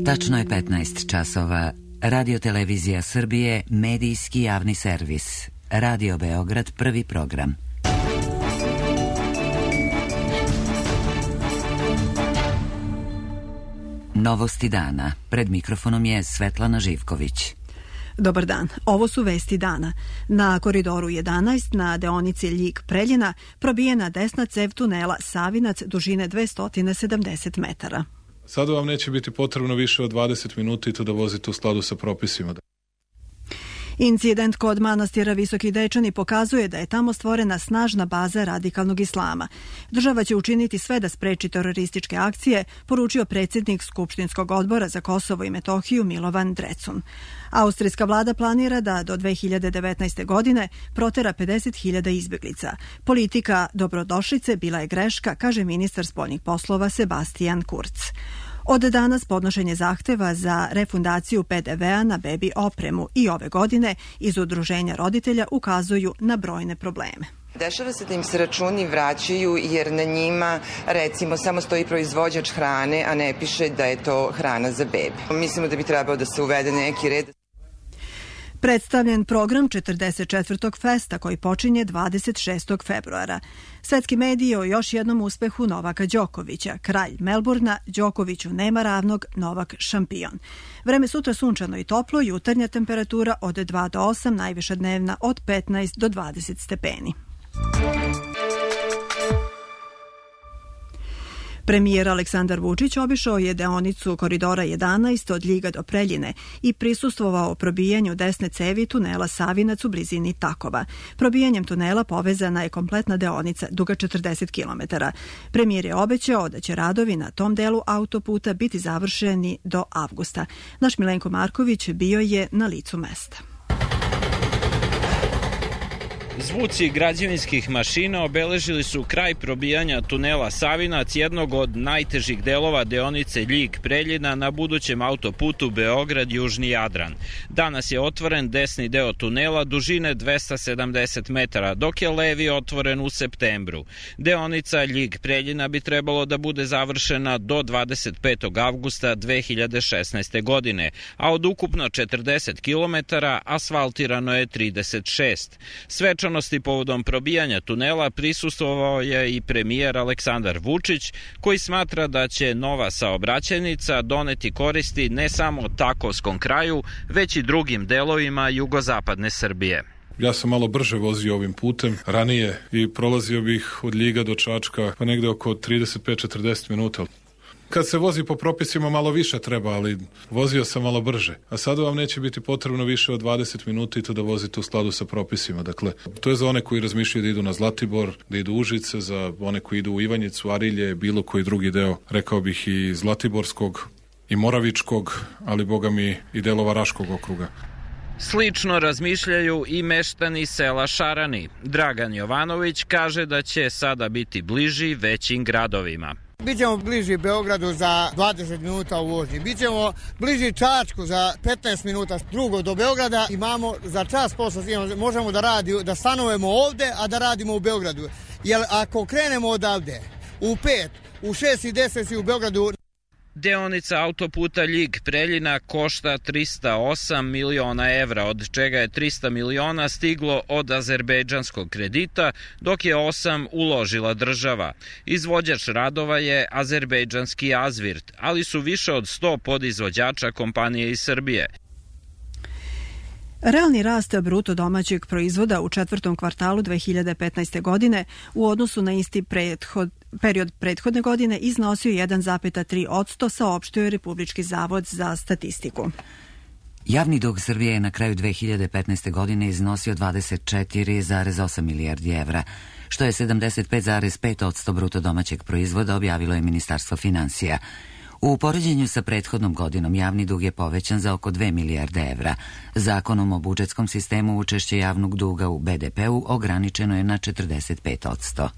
Tačno je 15 časova. Radio Televizija Srbije, medijski javni servis. Radio Beograd, prvi program. Novosti dana. Pred mikrofonom je Svetlana Živković. Dobar dan. Ovo su vesti dana. Na koridoru 11 na deonici Ljig-Preljina probijena desna cev tunela Savinac dužine 270 metara. Sada vam neće biti potrebno više od 20 minuta i to da vozite u skladu sa propisima. Incident kod manastira Visoki Dečani pokazuje da je tamo stvorena snažna baza radikalnog islama. Država će učiniti sve da spreči terorističke akcije, poručio predsjednik Skupštinskog odbora za Kosovo i Metohiju Milovan Drecun. Austrijska vlada planira da do 2019. godine protera 50.000 izbjeglica. Politika dobrodošlice bila je greška, kaže ministar spoljnih poslova Sebastian Kurz. Od danas podnošenje zahteva za refundaciju PDV-a na bebi opremu i ove godine iz udruženja roditelja ukazuju na brojne probleme. Dešava se da im se računi vraćaju jer na njima recimo samo stoji proizvođač hrane, a ne piše da je to hrana za bebi. Mislimo da bi trebao da se uvede neki red. Predstavljen program 44. festa koji počinje 26. februara. Svetski mediji o još jednom uspehu Novaka Đokovića. Kralj Melburna, Đokoviću nema ravnog, Novak šampion. Vreme sutra sunčano i toplo, jutarnja temperatura od 2 do 8, najviša dnevna od 15 do 20 stepeni. Premijer Aleksandar Vučić obišao je deonicu koridora 11 od Ljiga do Preljine i prisustvovao probijanju desne cevi tunela Savinac u blizini Takova. Probijanjem tunela povezana je kompletna deonica duga 40 km. Premijer je obećao da će radovi na tom delu autoputa biti završeni do avgusta. Naš Milenko Marković bio je na licu mesta. Zvuci građevinskih mašina obeležili su kraj probijanja tunela Savinac, jednog od najtežih delova deonice Ljig-Preljina na budućem autoputu Beograd-Južni Jadran. Danas je otvoren desni deo tunela dužine 270 metara, dok je levi otvoren u septembru. Deonica Ljig-Preljina bi trebalo da bude završena do 25. avgusta 2016. godine, a od ukupno 40 km asfaltirano je 36. Svečanosti povodom probijanja tunela prisustvovao je i premijer Aleksandar Vučić, koji smatra da će nova saobraćajnica doneti koristi ne samo Takovskom kraju, već i drugim delovima jugozapadne Srbije. Ja sam malo brže vozio ovim putem ranije i prolazio bih od Ljiga do Čačka pa negde oko 35-40 minuta. Kad se vozi po propisima malo više treba, ali vozio sam malo brže. A sada vam neće biti potrebno više od 20 minuta i to da vozite u skladu sa propisima. Dakle, to je za one koji razmišljaju da idu na Zlatibor, da idu u Užice, za one koji idu u Ivanjicu, Arilje, bilo koji drugi deo, rekao bih i Zlatiborskog i Moravičkog, ali boga mi i delova Raškog okruga. Slično razmišljaju i meštani sela Šarani. Dragan Jovanović kaže da će sada biti bliži većim gradovima. Bićemo bliži Beogradu za 20 minuta u vožnji. Bićemo bliži Čačku za 15 minuta drugo do Beograda. Imamo za čas posla, možemo da stanujemo ovde, a da radimo u Beogradu. Jer ako krenemo odavde u 5, u 6 i 10 si u Beogradu. Deonica autoputa Ljig-Preljina košta 308 miliona evra, od čega je 300 miliona stiglo od azerbejdžanskog kredita, dok je 8 uložila država. Izvođač radova je azerbejdžanski Azvirt, ali su više od 100 podizvođača kompanije iz Srbije. Realni rast bruto domaćeg proizvoda u četvrtom kvartalu 2015. godine u odnosu na isti period prethodne godine iznosio 1,3%, saopštio je Republički zavod za statistiku. Javni dug Srbije je na kraju 2015. godine iznosio 24,8 milijardi evra, što je 75,5% bruto domaćeg proizvoda, objavilo je Ministarstvo finansija. U poređenju sa prethodnom godinom javni dug je povećan za oko 2 milijarde evra. Zakonom o budžetskom sistemu učešće javnog duga u BDP-u ograničeno je na 45%.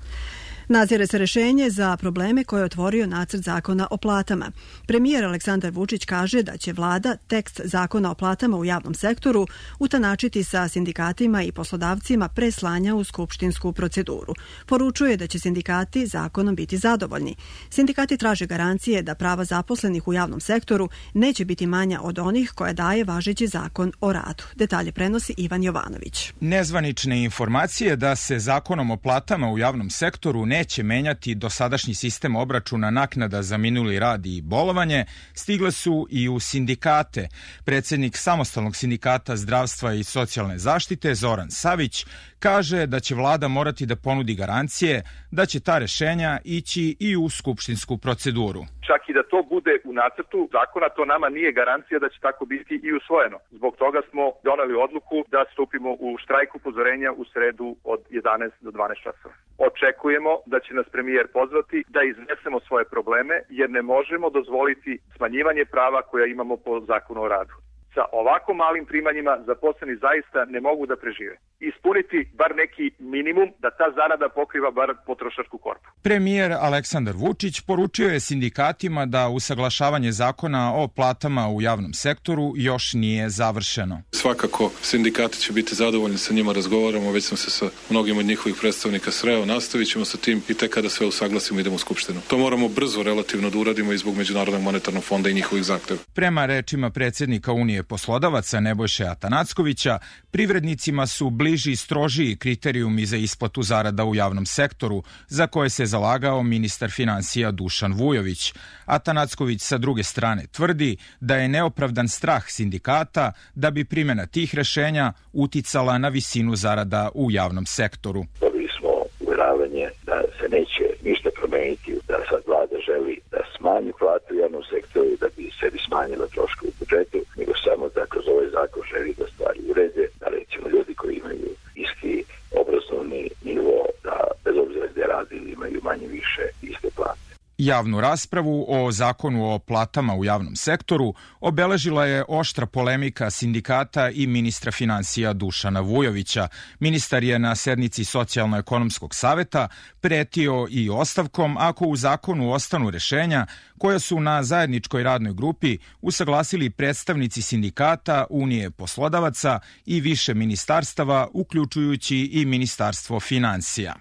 Nazire se rešenje za probleme koje je otvorio nacrt zakona o platama. Premijer Aleksandar Vučić kaže da će vlada tekst zakona o platama u javnom sektoru utanačiti sa sindikatima i poslodavcima pre slanja u skupštinsku proceduru. Poručuje da će sindikati zakonom biti zadovoljni. Sindikati traže garancije da prava zaposlenih u javnom sektoru neće biti manja od onih koje daje važeći zakon o radu. Detalje prenosi Ivan Jovanović. Nezvanične informacije da se zakonom o platama u javnom sektoru neće menjati dosadašnji sistem obračuna naknada za minuli rad i bolovanje stigle su i u sindikate. Predsjednik Samostalnog sindikata zdravstva i socijalne zaštite Zoran Savić kaže da će vlada morati da ponudi garancije da će ta rešenja ići i u skupštinsku proceduru. Čak i da to bude u nacrtu zakona, to nama nije garancija da će tako biti i usvojeno. Zbog toga smo doneli odluku da stupimo u štrajk upozorenja u sredu od 11 do 12 časova. Očekujemo da će nas premijer pozvati da iznesemo svoje probleme, jer ne možemo dozvoliti smanjivanje prava koja imamo po zakonu o radu. Sa ovako malim primanjima zaposleni zaista ne mogu da prežive. Ispuniti bar neki minimum da ta zarada pokriva bar potrošačku korpu. Premijer Aleksandar Vučić poručio je sindikatima da usaglašavanje zakona o platama u javnom sektoru još nije završeno. Svakako sindikati će biti zadovoljni, sa njima razgovaramo, već sam se sa mnogim od njihovih predstavnika sreo, nastavit ćemo sa tim i tek kada sve usaglasimo idemo u Skupštinu. To moramo brzo relativno da uradimo i zbog Međunarodnog monetarnog fonda i njihovih zahteva. Prema rečima predsjednika Unije poslodavaca Nebojše Atanackovića, privrednicima su bliži i strožiji kriterijumi za isplatu zarada u javnom sektoru, za koje se zalagao ministar finansija Dušan Vujović. Atanacković sa druge strane tvrdi da je neopravdan strah sindikata da bi primjena tih rešenja uticala na visinu zarada u javnom sektoru. Dobili smo uvjeravanje da se neće ništa promeniti, da sad vlada želi da smanji platu u javnom sektoru da bi sebi smanjila troškove u budžetu, nego samo da kroz ovaj zakon želi da stvari urede, da recimo ljudi koji imaju isti obrazovni nivo, da bez obzira gde radili imaju manje više iste plate. Javnu raspravu o zakonu o platama u javnom sektoru obeležila je oštra polemika sindikata i ministra finansija Dušana Vujovića. Ministar je na sednici Socijalno-ekonomskog saveta pretio i ostavkom ako u zakonu ostanu rešenja koja su na zajedničkoj radnoj grupi usaglasili predstavnici sindikata, Unije poslodavaca i više ministarstava, uključujući i Ministarstvo finansija.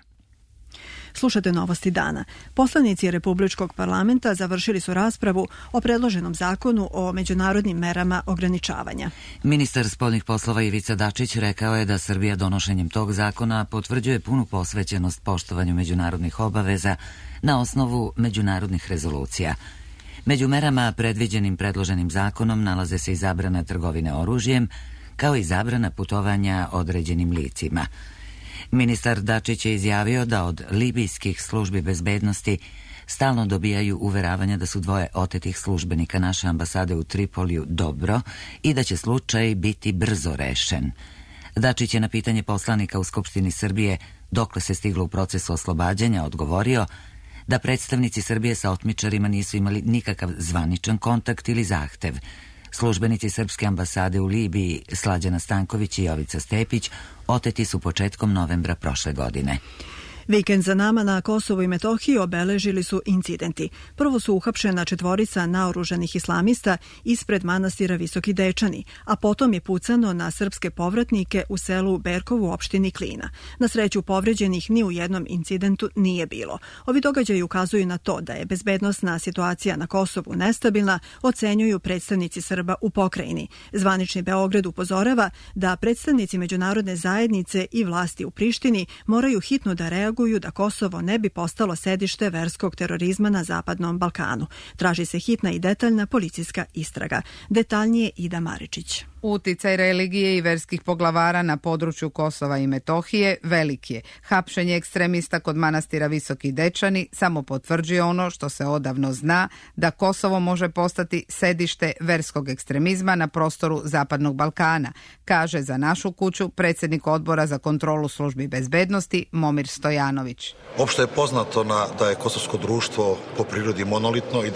Slušate Novosti dana. Poslanici Republičkog parlamenta završili su raspravu o predloženom zakonu o međunarodnim merama ograničavanja. Ministar spoljnih poslova Ivica Dačić rekao je da Srbija donošenjem tog zakona potvrđuje punu posvećenost poštovanju međunarodnih obaveza na osnovu međunarodnih rezolucija. Među merama predviđenim predloženim zakonom nalaze se i zabrana trgovine oružjem, kao i zabrana putovanja određenim licima. Ministar Dačić je izjavio da od libijskih službi bezbednosti stalno dobijaju uveravanja da su dvoje otetih službenika naše ambasade u Tripoliju dobro i da će slučaj biti brzo rešen. Dačić je na pitanje poslanika u Skupštini Srbije dokle se stiglo u procesu oslobađanja odgovorio da predstavnici Srbije sa otmičarima nisu imali nikakav zvaničan kontakt ili zahtev. Službenici Srpske ambasade u Libiji Slađana Stanković i Jovica Stepić oteti su početkom novembra prošle godine. Vikend za nama na Kosovu i Metohiji obeležili su incidenti. Prvo su uhapšena 4 naoružanih islamista ispred manastira Visoki Dečani, a potom je pucano na srpske povratnike u selu Berkovu u opštini Klina. Na sreću povređenih ni u jednom incidentu nije bilo. Ovi događaji ukazuju na to da je bezbednosna situacija na Kosovu nestabilna, ocenjuju predstavnici Srba u pokrajini. Zvanični Beograd upozorava da predstavnici međunarodne zajednice i vlasti u Prištini moraju hitno da reaguju da Kosovo ne bi postalo sedište verskog terorizma na Zapadnom Balkanu. Traži se hitna i detaljna policijska istraga. Detaljnije Ida Maričić. Uticaj religije i verskih poglavara na području Kosova i Metohije velik je. Hapšenje ekstremista kod manastira Visoki Dečani samo potvrđuje ono što se odavno zna, da Kosovo može postati sedište verskog ekstremizma na prostoru Zapadnog Balkana, kaže za Našu kuću predsjednik Odbora za kontrolu službi bezbednosti Momir Stojanović. Opšte je poznato da je kosovsko društvo po prirodi monolitno i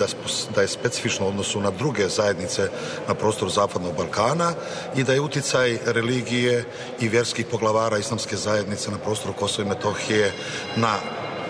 da je specifično u odnosu na druge zajednice na prostoru Zapadnog Balkana i da je uticaj religije i vjerskih poglavara islamske zajednice na prostoru Kosova i Metohije na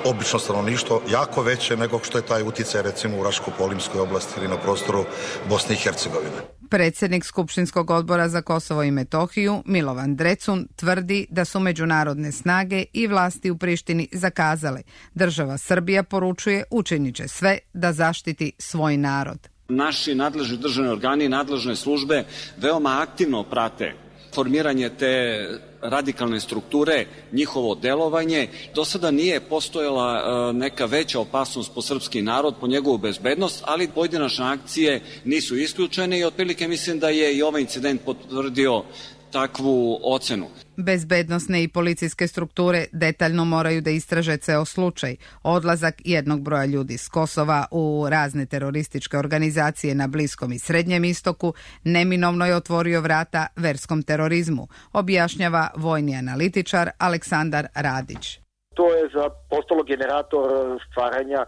obično stanovništvo jako veće nego što je taj uticaj recimo u Raško-Polimskoj oblasti ili na prostoru Bosne i Hercegovine. Predsjednik Skupštinskog odbora za Kosovo i Metohiju, Milovan Drecun, tvrdi da su međunarodne snage i vlasti u Prištini zakazale. Država Srbija poručuje učinit će sve da zaštiti svoj narod. Naši nadležni državni organi i nadležne službe veoma aktivno prate formiranje te radikalne strukture, njihovo delovanje. Do sada nije postojala neka veća opasnost po srpski narod, po njegovu bezbednost, ali pojedinačne akcije nisu isključene i otprilike mislim da je i ovaj incident potvrdio takvu ocenu. Bezbednosne i policijske strukture detaljno moraju da istraže ceo slučaj. Odlazak jednog broja ljudi s Kosova u razne terorističke organizacije na Bliskom i Srednjem istoku neminovno je otvorio vrata verskom terorizmu, objašnjava vojni analitičar Aleksandar Radić. To je postalo generator stvaranja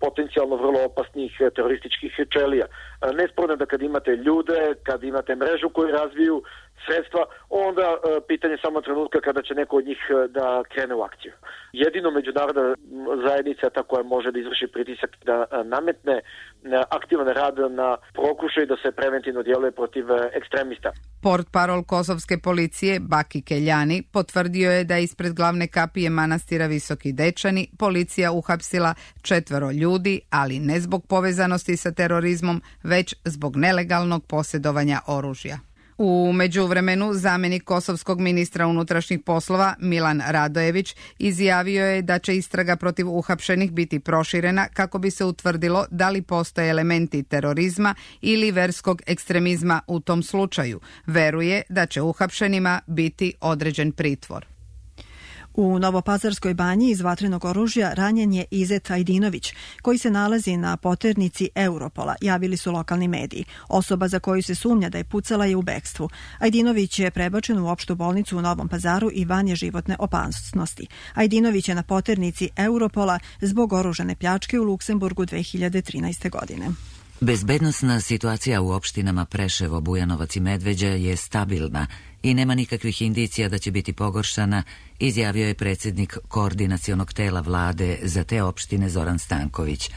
potencijalno vrlo opasnih terorističkih čelija. Nesporno da kad imate ljude, kad imate mrežu koju razviju, sredstva, onda pitanje samo trenutka kada će neko od njih da krene u akciju. Jedino međunarodna zajednica ta koja može da izvrši pritisak da nametne aktivan rad na pokušaj da se preventivno djeluje protiv ekstremista. Portparol kosovske policije Baki Keljani potvrdio je da ispred glavne kapije manastira Visoki Dečani policija uhapsila 4 ljudi, ali ne zbog povezanosti sa terorizmom, već zbog nelegalnog posjedovanja oružja. U međuvremenu zamjenik kosovskog ministra unutrašnjih poslova Milan Radojević izjavio je da će istraga protiv uhapšenih biti proširena kako bi se utvrdilo da li postoje elementi terorizma ili verskog ekstremizma u tom slučaju. Veruje da će uhapšenima biti određen pritvor. U Novopazarskoj banji iz vatrenog oružja ranjen je Izet Ajdinović, koji se nalazi na poternici Europola, javili su lokalni mediji. Osoba za koju se sumnja da je pucala je u bekstvu. Ajdinović je prebačen u opštu bolnicu u Novom Pazaru i van je životne opasnosti. Ajdinović je na poternici Europola zbog oružane pljačke u Luksemburgu 2013. godine. Bezbednosna situacija u opštinama Preševo, Bujanovac i Medveđa je stabilna i nema nikakvih indicija da će biti pogoršana, izjavio je predsjednik koordinacionog tela vlade za te opštine Zoran Stanković.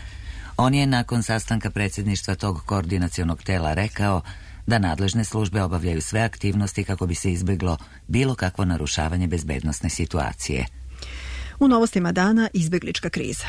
On je nakon sastanka predsjedništva tog koordinacionog tela rekao da nadležne službe obavljaju sve aktivnosti kako bi se izbjeglo bilo kakvo narušavanje bezbednosne situacije. U novostima dana izbjeglička kriza.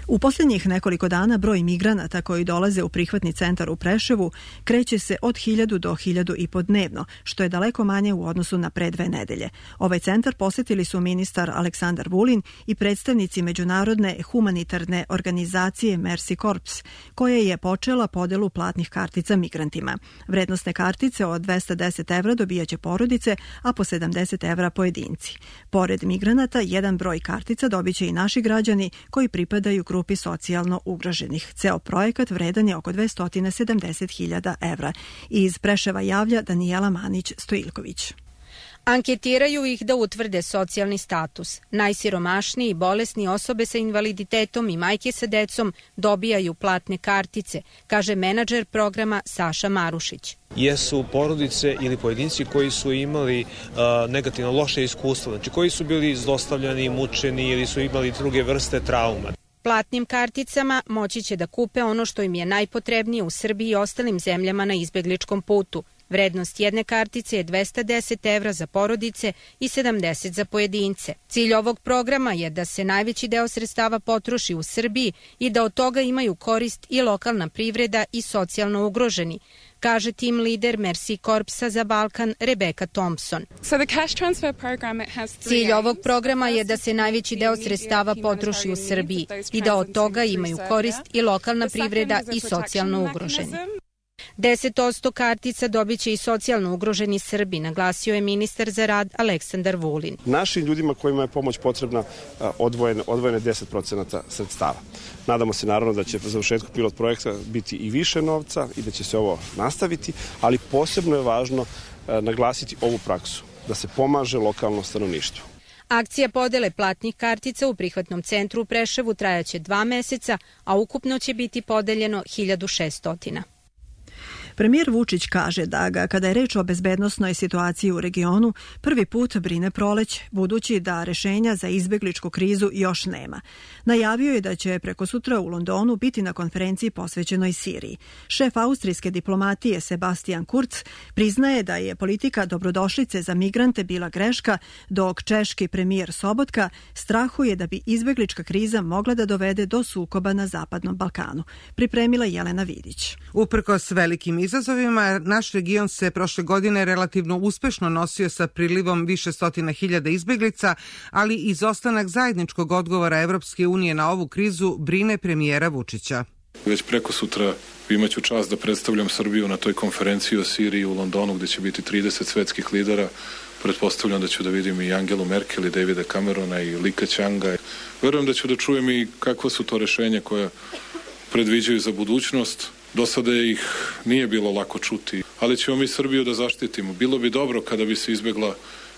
U posljednjih nekoliko dana broj migranata koji dolaze u prihvatni centar u Preševu kreće se od 1000 do 1500 dnevno, što je daleko manje u odnosu na pre 2 nedelje. Ovaj centar posjetili su ministar Aleksandar Vulin i predstavnici međunarodne humanitarne organizacije Mercy Corps, koja je počela podelu platnih kartica migrantima. Vrednostne kartice od 210 evra dobijaće porodice, a po 70 evra pojedinci. Pored migranata, jedan broj kartica dobiće i naši građani koji pripadaju grupi socijalno ugroženih. Ceo projekat vredan je oko 270.000 evra. Iz Preševa javlja Danijela Manić-Stojiljković. Anketiraju ih da utvrde socijalni status. Najsiromašniji i bolesni osobe sa invaliditetom i majke sa decom dobijaju platne kartice, kaže menadžer programa Saša Marušić. Jesu porodice ili pojedinci koji su imali negativno loše iskustvo, znači koji su bili zlostavljani, mučeni ili su imali druge vrste trauma. Platnim karticama moći će da kupe ono što im je najpotrebnije u Srbiji i ostalim zemljama na izbjegličkom putu. Vrednost jedne kartice je 210 evra za porodice i 70 za pojedince. Cilj ovog programa je da se najveći deo sredstava potroši u Srbiji i da od toga imaju korist i lokalna privreda i socijalno ugroženi, kaže tim lider Mercy Corpsa za Balkan Rebeka Thompson. Cilj ovog programa je da se najveći deo sredstava potroši u Srbiji i da od toga imaju korist i lokalna privreda i socijalno ugroženi. 10% kartica dobit će i socijalno ugroženi Srbi, naglasio je ministar za rad Aleksandar Vulin. Našim ljudima kojima je pomoć potrebna odvojene 10% sredstava. Nadamo se naravno da će po završetku pilot projekta biti i više novca i da će se ovo nastaviti, ali posebno je važno naglasiti ovu praksu, da se pomaže lokalno stanovništvo. Akcija podele platnih kartica u prihvatnom centru u Preševu trajaće 2 meseca, a ukupno će biti podeljeno 1600. Premijer Vučić kaže da ga, kada je reč o bezbednosnoj situaciji u regionu, prvi put brine proleć, budući da rešenja za izbegličku krizu još nema. Najavio je da će preko sutra u Londonu biti na konferenciji posvećenoj Siriji. Šef austrijske diplomatije Sebastian Kurz priznaje da je politika dobrodošlice za migrante bila greška, dok češki premijer Sobotka strahuje da bi izbeglička kriza mogla da dovede do sukoba na Zapadnom Balkanu. Pripremila Jelena Vidić. Uprkos velikim izazovima, naš region se prošle godine relativno uspešno nosio sa prilivom više stotina hiljada izbeglica, ali izostanak zajedničkog odgovora Evropske unije na ovu krizu brine premijera Vučića. Već preko sutra imaću čast da predstavljam Srbiju na toj konferenciji o Siriji u Londonu, gde će biti 30 svetskih lidera. Pretpostavljam da ću da vidim i Angelu Merkel i Davida Camerona i Lika Ćanga. Verujem da ću da čujem i kakva su to rešenja koja predviđaju za budućnost. Do sada ih nije bilo lako čuti, ali ćemo mi Srbiju da zaštitimo. Bilo bi dobro kada bi se izbegla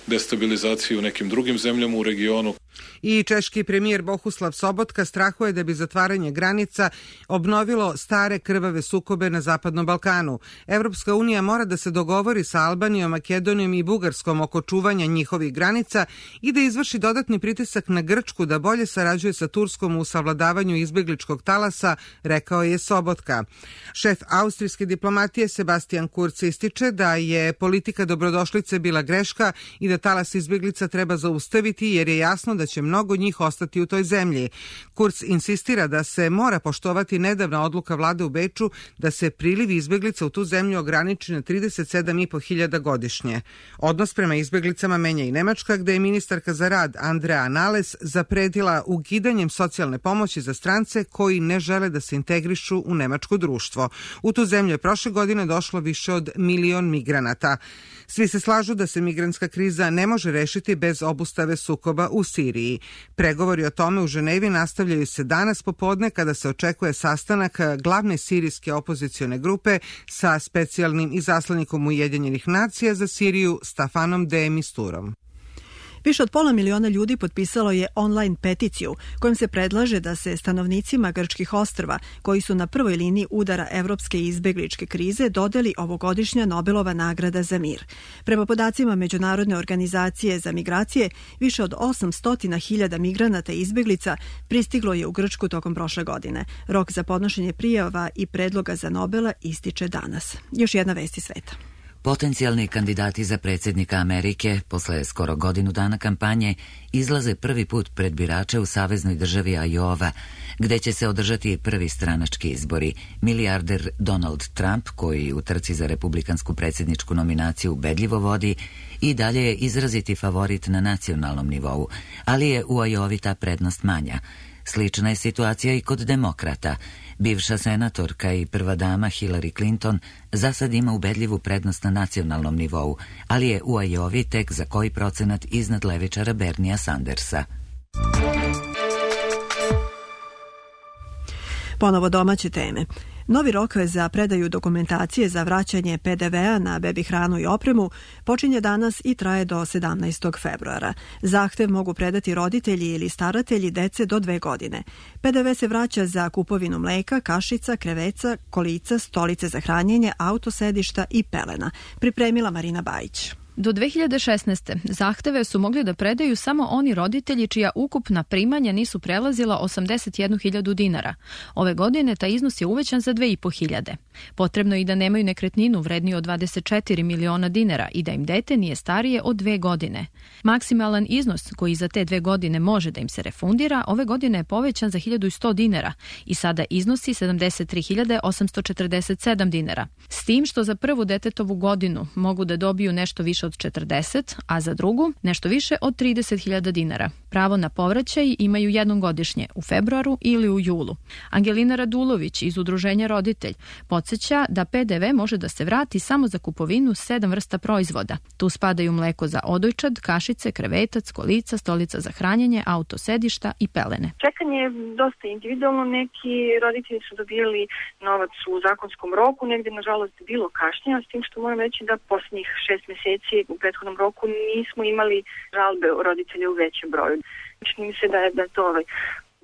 destabilizacija u nekim drugim zemljama u regionu. I češki premijer Bohuslav Sobotka strahuje da bi zatvaranje granica obnovilo stare krvave sukobe na Zapadnom Balkanu. Evropska unija mora da se dogovori sa Albanijom, Makedonijom i Bugarskom oko čuvanja njihovih granica i da izvrši dodatni pritisak na Grčku da bolje sarađuje sa Turskom u savladavanju izbegličkog talasa, rekao je Sobotka. Šef austrijske diplomatije Sebastian Kurz ističe da je politika dobrodošlice bila greška i da talas izbeglica treba zaustaviti jer je jasno da će mnogo njih ostati u toj zemlji. Kurz insistira da se mora poštovati nedavna odluka vlade u Beču da se priliv izbeglica u tu zemlju ograniči na 37.500 godišnje. Odnos prema izbeglicama menja i Nemačka, gde je ministarka za rad Andrea Nahles zapretila ukidanjem socijalne pomoći za strance koji ne žele da se integrišu u nemačko društvo. U tu zemlju je prošle godine došlo više od 1 milion migranata. Svi se slažu da se migrantska kriza ne može rešiti bez obustave sukoba u Siriji. Pregovori o tome u Ženevi nastavljaju se danas popodne kada se očekuje sastanak glavne sirijske opozicione grupe sa specijalnim izaslanikom Ujedinjenih nacija za Siriju Stafanom de Misturom. Više od 500 miliona ljudi potpisalo je online peticiju kojom se predlaže da se stanovnicima grčkih ostrva, koji su na prvoj liniji udara evropske izbegličke krize, dodeli ovogodišnja Nobelova nagrada za mir. Prema podacima Međunarodne organizacije za migracije, više od 800.000 migranata i izbeglica pristiglo je u Grčku tokom prošle godine. Rok za podnošenje prijava i predloga za Nobela ističe danas. Još jedna vest iz sveta. Potencijalni kandidati za predsjednika Amerike posle skoro godinu dana kampanje izlaze prvi put pred birače u saveznoj državi Iowa, gde će se održati prvi stranački izbori. Milijarder Donald Trump, koji u trci za republikansku predsjedničku nominaciju ubedljivo vodi, i dalje je izraziti favorit na nacionalnom nivou, ali je u Iowi ta prednost manja. Slična je situacija i kod demokrata. Bivša senatorka i prva dama Hillary Clinton za sad ima ubedljivu prednost na nacionalnom nivou, ali je u Iowi tek za koji procenat iznad levičara Bernija Sandersa. Ponovo domaće teme. Novi rok za predaju dokumentacije za vraćanje PDV-a na bebi hranu i opremu počinje danas i traje do 17. februara. Zahtev mogu predati roditelji ili staratelji dece do 2 godine. PDV se vraća za kupovinu mleka, kašica, kreveca, kolica, stolice za hranjenje, autosedišta i pelena. Pripremila Marina Bajić. Do 2016. zahteve su mogli da predaju samo oni roditelji čija ukupna primanja nisu prelazila 81.000 dinara. Ove godine taj iznos je uvećan za 2.500. Potrebno je i da nemaju nekretninu vredniju od 24 miliona dinara i da im dete nije starije od 2 godine. Maksimalan iznos koji za te 2 godine može da im se refundira ove godine je povećan za 1.100 dinara i sada iznosi 73.847 dinara. S tim što za prvu detetovu godinu mogu da dobiju nešto više od 40, a za drugu nešto više od 30.000 dinara. Pravo na povraćaj imaju jednom godišnje, u februaru ili u julu. Angelina Radulović iz Udruženja Roditelj podsjeća da PDV može da se vrati samo za kupovinu 7 vrsta proizvoda. Tu spadaju mleko za odojčad, kašice, krevetac, kolica, stolica za hranjenje, autosedišta i pelene. Čekanje je dosta individualno. Neki roditelji su dobijali novac u zakonskom roku, negdje nažalost bilo kašnjenja, s tim što moram reći da posljednjih 6 mjeseci u prethodnom roku nismo imali žalbe roditelja u većem broju. Čini mi se da je to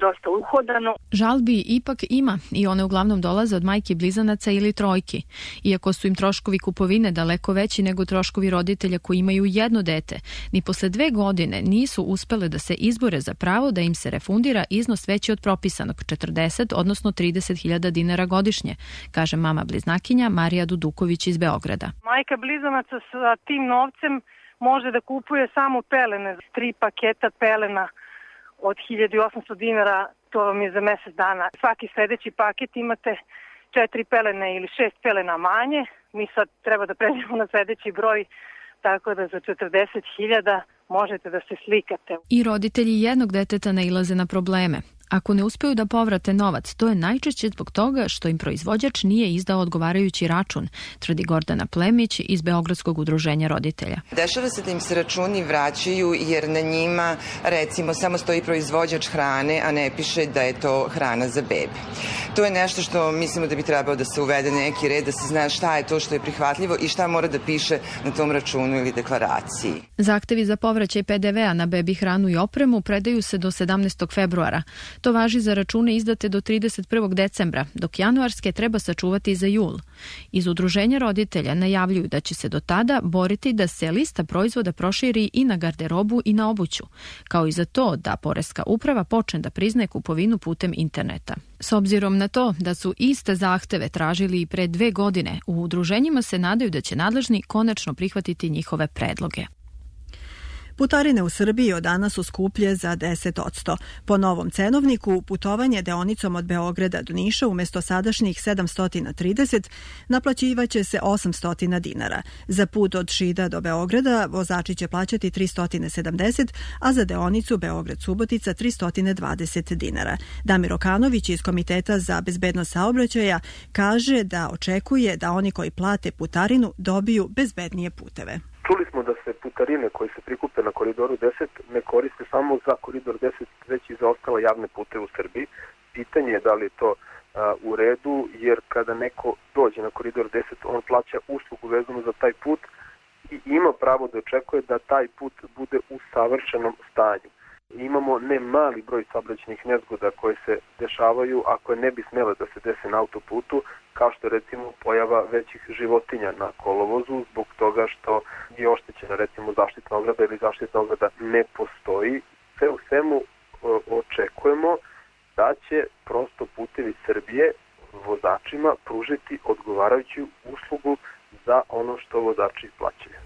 dosta uhodano. Žalbi ipak ima i one uglavnom dolaze od majki blizanaca ili trojki. Iako su im troškovi kupovine daleko veći nego troškovi roditelja koji imaju jedno dete, ni posle 2 godine nisu uspele da se izbore za pravo da im se refundira iznos veći od propisanog 40, odnosno 30.000 dinara godišnje, kaže mama bliznakinja Marija Duduković iz Beograda. Majka blizanaca sa tim novcem može da kupuje samo pelene, 3 paketa pelena od 1800 dinara, to vam je za mesec dana. Svaki sledeći paket imate 4 pelene ili 6 pelena manje. Mi sad treba da pređemo na sledeći broj, tako da za 40.000 možete da se slikate. I roditelji jednog deteta nailaze na probleme. Ako ne uspeju da povrate novac, to je najčešće zbog toga što im proizvođač nije izdao odgovarajući račun, tvrdi Gordana Plemić iz Beogradskog udruženja roditelja. Dešava se da im se računi vraćaju jer na njima, recimo, samo stoji proizvođač hrane, a ne piše da je to hrana za bebe. To je nešto što mislimo da bi trebalo da se uvede neki red, da se zna šta je to što je prihvatljivo i šta mora da piše na tom računu ili deklaraciji. Zahtevi za povraćaj PDV-a na bebi hranu i opremu predaju se do 17. februara. To važi za račune izdate do 31. decembra, dok januarske treba sačuvati za jul. Iz udruženja roditelja najavljuju da će se do tada boriti da se lista proizvoda proširi i na garderobu i na obuću, kao i za to da Poreska uprava počne da priznaje kupovinu putem interneta. S obzirom na to da su iste zahteve tražili i pre 2 godine, u udruženjima se nadaju da će nadležni konačno prihvatiti njihove predloge. Putarine u Srbiji od danas su skuplje za 10%. Po novom cenovniku, putovanje deonicom od Beograda do Niša umjesto sadašnjih 730 naplaćivaće se 800 dinara. Za put od Šida do Beograda vozači će plaćati 370, a za deonicu Beograd-Subotica 320 dinara. Damir Okanović iz Komiteta za bezbednost saobraćaja kaže da očekuje da oni koji plate putarinu dobiju bezbednije puteve. Čuli smo da se putarine koje se prikupe na koridoru 10 ne koriste samo za koridor 10, već i za ostale javne puteve u Srbiji. Pitanje je da li je to u redu, jer kada neko dođe na koridor 10, on plaća uslugu vezanu za taj put i ima pravo da očekuje da taj put bude u savršenom stanju. Imamo ne mali broj saobraćajnih nezgoda koje se dešavaju, a koje ne bi smjele da se dese na autoputu, kao što je recimo pojava većih životinja na kolovozu zbog toga što je oštećena recimo zaštitna ograda ili zaštitna ograda ne postoji. Sve u svemu očekujemo da će prosto Putevi Srbije vozačima pružiti odgovarajuću uslugu za ono što vozači plaćaju.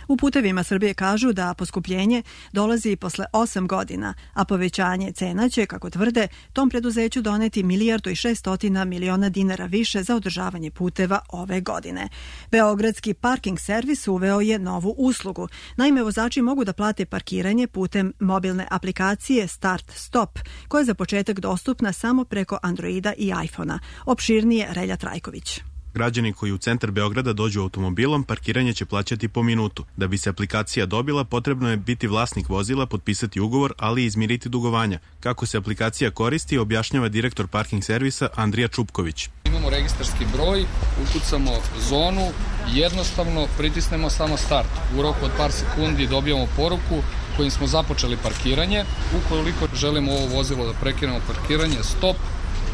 U Putevima Srbije kažu da poskupljenje dolazi posle 8 godina, a povećanje cena će, kako tvrde, tom preduzeću doneti 1.600 miliona dinara više za održavanje puteva ove godine. Beogradski parking servis uveo je novu uslugu. Naime, vozači mogu da plate parkiranje putem mobilne aplikacije Start Stop, koja je za početak dostupna samo preko Androida i iPhona. Opširnije Relja Trajković. Građani koji u centar Beograda dođu automobilom, parkiranje će plaćati po minutu. Da bi se aplikacija dobila, potrebno je biti vlasnik vozila, potpisati ugovor, ali i izmiriti dugovanja. Kako se aplikacija koristi, objašnjava direktor parking servisa Andrija Čupković. Imamo registarski broj, ukucamo zonu, jednostavno pritisnemo samo start. U roku od par sekundi dobijamo poruku kojim smo započeli parkiranje. Ukoliko želimo ovo vozilo da prekinemo parkiranje, stop,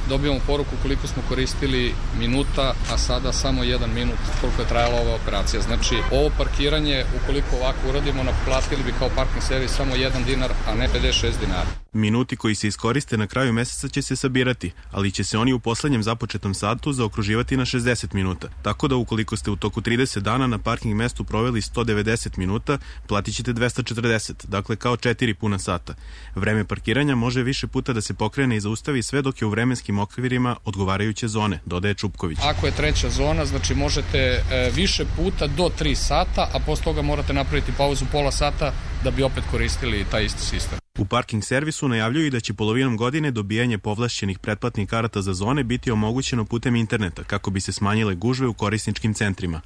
dobijamo poruku koliko smo koristili minuta, a sada samo 1 minut koliko je trajala ova operacija. Znači, ovo parkiranje, ukoliko ovako uradimo, naplatili bi kao parking servis samo 1 dinar, a ne 56 dinara. Minuti koji se iskoriste na kraju meseca će se sabirati, ali će se oni u poslednjem započetom satu zaokruživati na 60 minuta. Tako da ukoliko ste u toku 30 dana na parking mestu proveli 190 minuta, platit ćete 240, dakle kao 4 puna sata. Vreme parkiranja može više puta da se pokrene i zaustavi sve dok je u vremenskim okvirima odgovarajuće zone, dodaje Čupković. Ako je treća zona, znači možete više puta do 3 sata, a posle toga morate napraviti pauzu pola sata da bi opet koristili taj isti sistem. U parking servisu najavljuju da će polovinom godine dobijanje povlašćenih pretplatnih karata za zone biti omogućeno putem interneta kako bi se smanjile gužve u korisničkim centrima.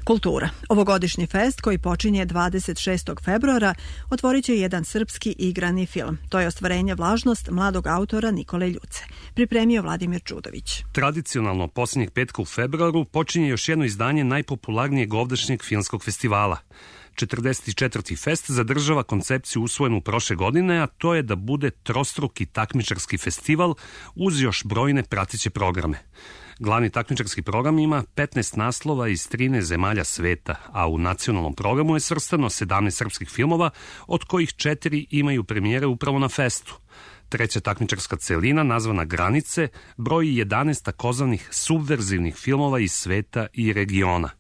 Kultura. Ovogodišnji fest koji počinje 26. februara otvorit će jedan srpski igrani film. To je ostvarenje Vlažnost mladog autora Nikole Ljuce. Pripremio Vladimir Čudović. Tradicionalno posljednjeg petka u februaru počinje još jedno izdanje najpopularnijeg ovdašnjeg filmskog festivala. 44. fest zadržava koncepciju usvojenu prošle godine, a to je da bude trostruki takmičarski festival uz još brojne prateće programe. Glavni takmičarski program ima 15 naslova iz 13 zemalja sveta, a u nacionalnom programu je svrstano 17 srpskih filmova, od kojih 4 imaju premijere upravo na festu. Treća takmičarska celina, nazvana Granice, broji 11 takozvanih subverzivnih filmova iz sveta i regiona.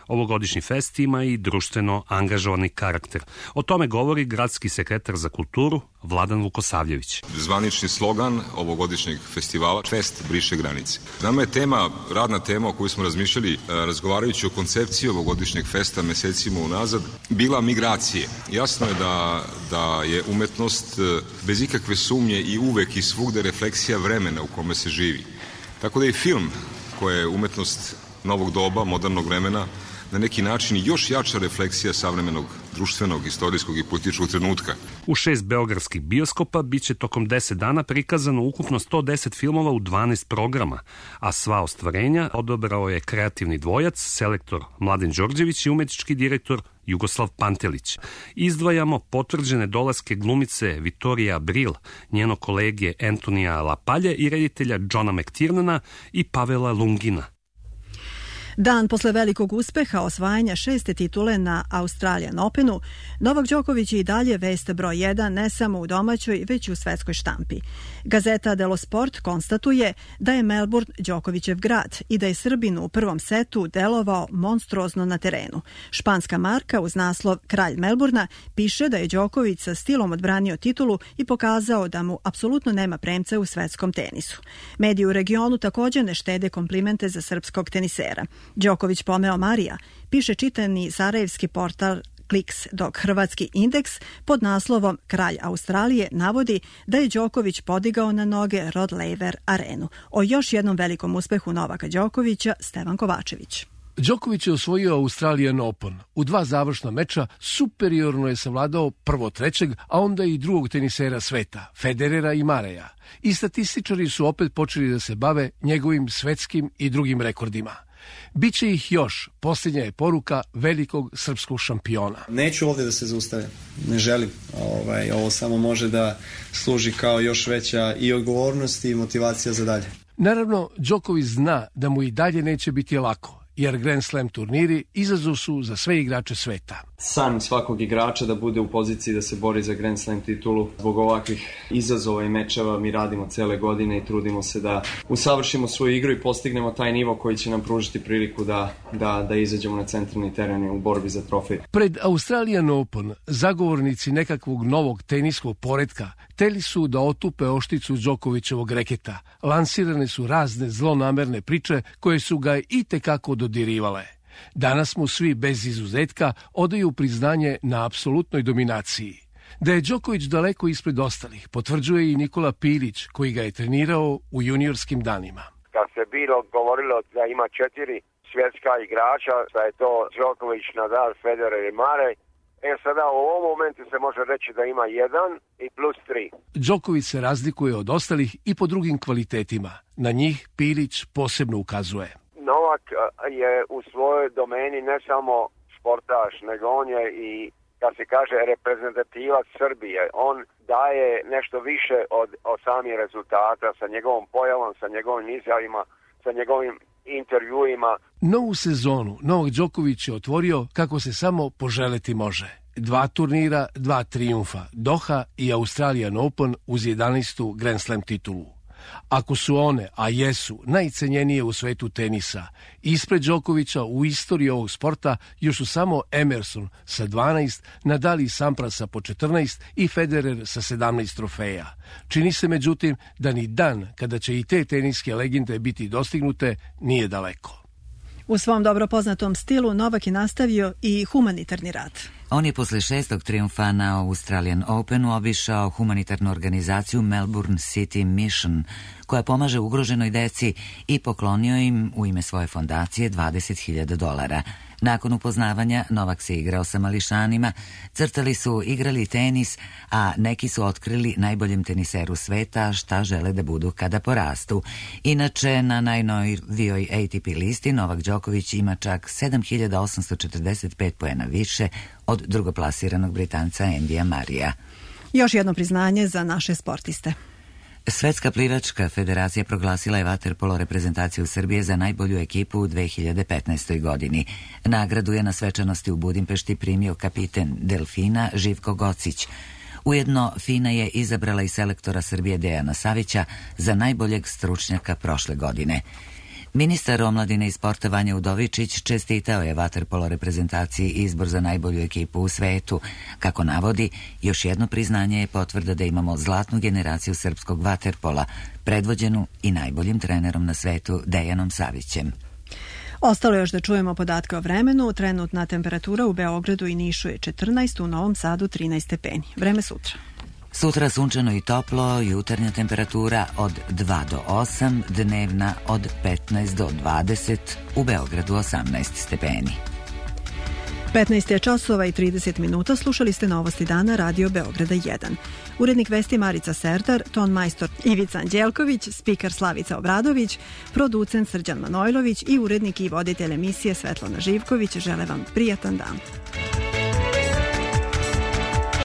Ovogodišnji fest ima i društveno angažovani karakter. O tome govori gradski sekretar za kulturu Vladan Vukosavljević. Zvanični slogan ovogodišnjeg festivala Fest briše granice. Nama je radna tema o kojoj smo razmišljali razgovarajući o koncepciji ovogodišnjeg festa mesecima unazad bila migracije. Jasno je da je umetnost bez ikakve sumnje i uvek i svugde refleksija vremena u kome se živi. Tako da i film, koja je umetnost novog doba, modernog vremena, na neki način još jača refleksija savremenog društvenog, istorijskog i političkog trenutka. U 6 beogradskih bioskopa biće tokom 10 dana prikazano ukupno 110 filmova u 12 programa, a sva ostvarenja odabrao je kreativni dvojac, selektor Mladen Đorđević i umetnički direktor Jugoslav Pantelić. Izdvajamo potvrđene dolaske glumice Vittorija Abril, njeno kolege Antonija Lapalje i reditelja Johna McTiernana i Pavela Lungina. Dan posle velikog uspeha osvajanja 6. titule na Australian Openu, Novak Đoković je i dalje vest broj 1 ne samo u domaćoj, već i u svetskoj štampi. Gazeta Delo Sport konstatuje da je Melbourne Đokovićev grad i da je Srbin u prvom setu delovao monstruozno na terenu. Španska marka uz naslov Kralj Melburna piše da je Đoković sa stilom odbranio titulu i pokazao da mu apsolutno nema premca u svetskom tenisu. Mediji u regionu također ne štede komplimente za srpskog tenisera. Đoković pomeo Marija, piše čitani sarajevski portal Kliks, dok hrvatski Indeks pod naslovom Kralj Australije navodi da je Đoković podigao na noge Rod Laver arenu. O još jednom velikom uspehu Novaka Đokovića, Stevan Kovačević. Đoković je osvojio Australian Open. U 2 završna meča superiorno je savladao prvo trećeg, a onda i drugog tenisera sveta, Federera i Mareja. I statističari su opet počeli da se bave njegovim svetskim i drugim rekordima. Biće ih još, posljednja je poruka velikog srpskog šampiona. Neću ovdje da se zaustavim, ne želim. Ovo samo može da služi kao još veća i odgovornost i motivacija za dalje. Naravno, Đoković zna da mu i dalje neće biti lako, jer Grand Slam turniri izazov su za sve igrače sveta. San svakog igrača da bude u poziciji da se bori za Grand Slam titulu. Zbog ovakvih izazova i mečeva mi radimo cele godine i trudimo se da usavršimo svoju igru i postignemo taj nivo koji će nam pružiti priliku da izađemo na centralni teren u borbi za trofej. Pred Australian Open zagovornici nekakvog novog teniskog poretka hteli su da otupe ošticu Đokovićevog reketa. Lansirane su razne zlonamerne priče koje su ga itekako dodirivale. Danas mu svi bez izuzetka odaju priznanje na apsolutnoj dominaciji. Da je Đoković daleko ispred ostalih potvrđuje i Nikola Pilić, koji ga je trenirao u juniorskim danima. Kad se bilo govorilo da ima 4 svjetska igrača, da je to Đoković, Nadal, Federer i Murray, sada u ovom momentu se može reći da ima 1 i plus 3. Đoković se razlikuje od ostalih i po drugim kvalitetima. Na njih Pilić posebno ukazuje. Novak je u svojoj domeni ne samo sportaš, nego on je i, kad se kaže, reprezentativac Srbije. On daje nešto više od samih rezultata sa njegovom pojavom, sa njegovim izjavima, sa njegovim intervjuima. Novu sezonu Novak Đoković je otvorio kako se samo poželeti može. 2 turnira, 2 trijumfa, Doha i Australian Open uz 11. Grand Slam titulu. Ako su one, a jesu, najcenjenije u svetu tenisa, ispred Đokovića u istoriji ovog sporta još su samo Emerson sa 12, Nadal i Sampras po 14 i Federer sa 17 trofeja. Čini se međutim da ni dan kada će i te teniske legende biti dostignute nije daleko. U svom dobro poznatom stilu Novak je nastavio i humanitarni rad. On je posle 6. trijumfa na Australian Openu obišao humanitarnu organizaciju Melbourne City Mission, koja pomaže ugroženoj deci, i poklonio im u ime svoje fondacije $20.000. Nakon upoznavanja Novak se igrao sa mališanima, crtali su, igrali tenis, a neki su otkrili najboljem teniseru sveta šta žele da budu kada porastu. Inače, na najnovijoj ATP listi Novak Đoković ima čak 7.845 poena više od drugoplasiranog Britanca Endija Marija. Još jedno priznanje za naše sportiste. Svetska plivačka federacija proglasila je vaterpolo reprezentaciju Srbije za najbolju ekipu u 2015. godini. Nagradu je na svečanosti u Budimpešti primio kapiten Delfina Živko Gocić. Ujedno, FINA je izabrala i selektora Srbije Dejana Savića za najboljeg stručnjaka prošle godine. Ministar omladine i sporta Vanja Udovičić čestitao je vaterpolo reprezentaciji izbor za najbolju ekipu u svetu. Kako navodi, još jedno priznanje je potvrda da imamo zlatnu generaciju srpskog vaterpola, predvođenu i najboljim trenerom na svetu Dejanom Savićem. Ostalo još da čujemo podatke o vremenu. Trenutna temperatura u Beogradu i Nišu je 14, u Novom Sadu 13 stepeni. Vreme sutra. Sutra sunčano i toplo, jutarnja temperatura od 2 do 8, dnevna od 15 do 20, u Beogradu 18 stepeni. 15 je časova i 30 minuta, slušali ste Novosti dana Radio Beograda 1. Urednik vesti Marica Serdar, ton majstor Ivica Anđelković, spikar Slavica Obradović, producent Srđan Manojlović i urednik i voditelj emisije Svetlana Živković žele vam prijatan dan.